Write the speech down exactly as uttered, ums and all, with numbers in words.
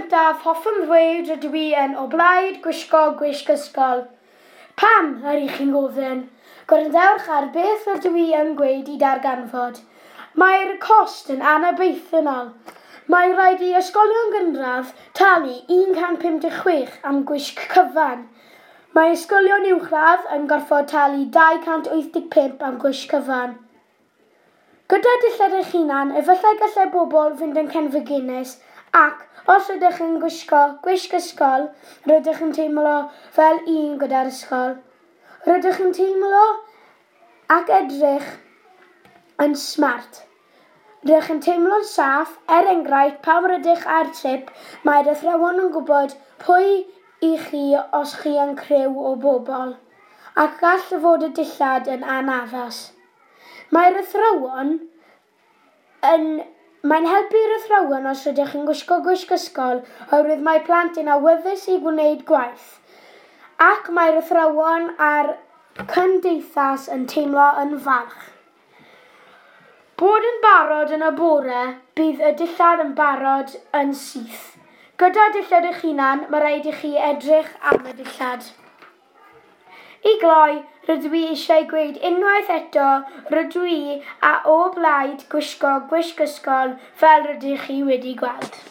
gyntaf, hoffwn ddweud rydw i yn o blaid gwisgo gwisg ysgol. Pam, yr ych chi'n gofyn? Gwrandewch ar beth rydw i yn gweud i darganfod. Mae'r cost yn anobeithiol. Mae rhaid i ysgolion gynradd talu un cant pum deg chwech am gwisg cyfan. Mae ysgolion uwchradd yn gorfod talu dau cant wyth deg pump am gwisg cyfan. Gyda dillad eich hunan, efallai gallai bobl fynd yn cenfigenus ac os ydych yn gwisgo gwisg ysgol, rydych yn teimlo fel un gyda'r ysgol. Rydych yn teimlo ac edrych yn smart. Rydych yn teimlo'n saff, er enghraifft, pan rydych ar trip, mae'r athrawon yn gwybod pwy i chi os chi yn criw o bobl, ac gall fod y dillad yn anaddas. Mae'r athrawon yn... Mae'n helpu'r athrawon os ydych chi'n gwisgo gwisg ysgol oherwydd mae plant yn awyddus i gwneud gwaith, ac mae'r athrawon a'r cymdeithas yn teimlo yn falch. Bod yn barod yn y bore, bydd y dillad yn barod yn syth. Gyda dillad eich hunan, mae rhaid i chi edrych am y dillad. I gloi, rydw i eisiau gweud unwaith eto, rydw i a o blaid gwisgo gwisg ysgol fel rydych chi wedi gweld.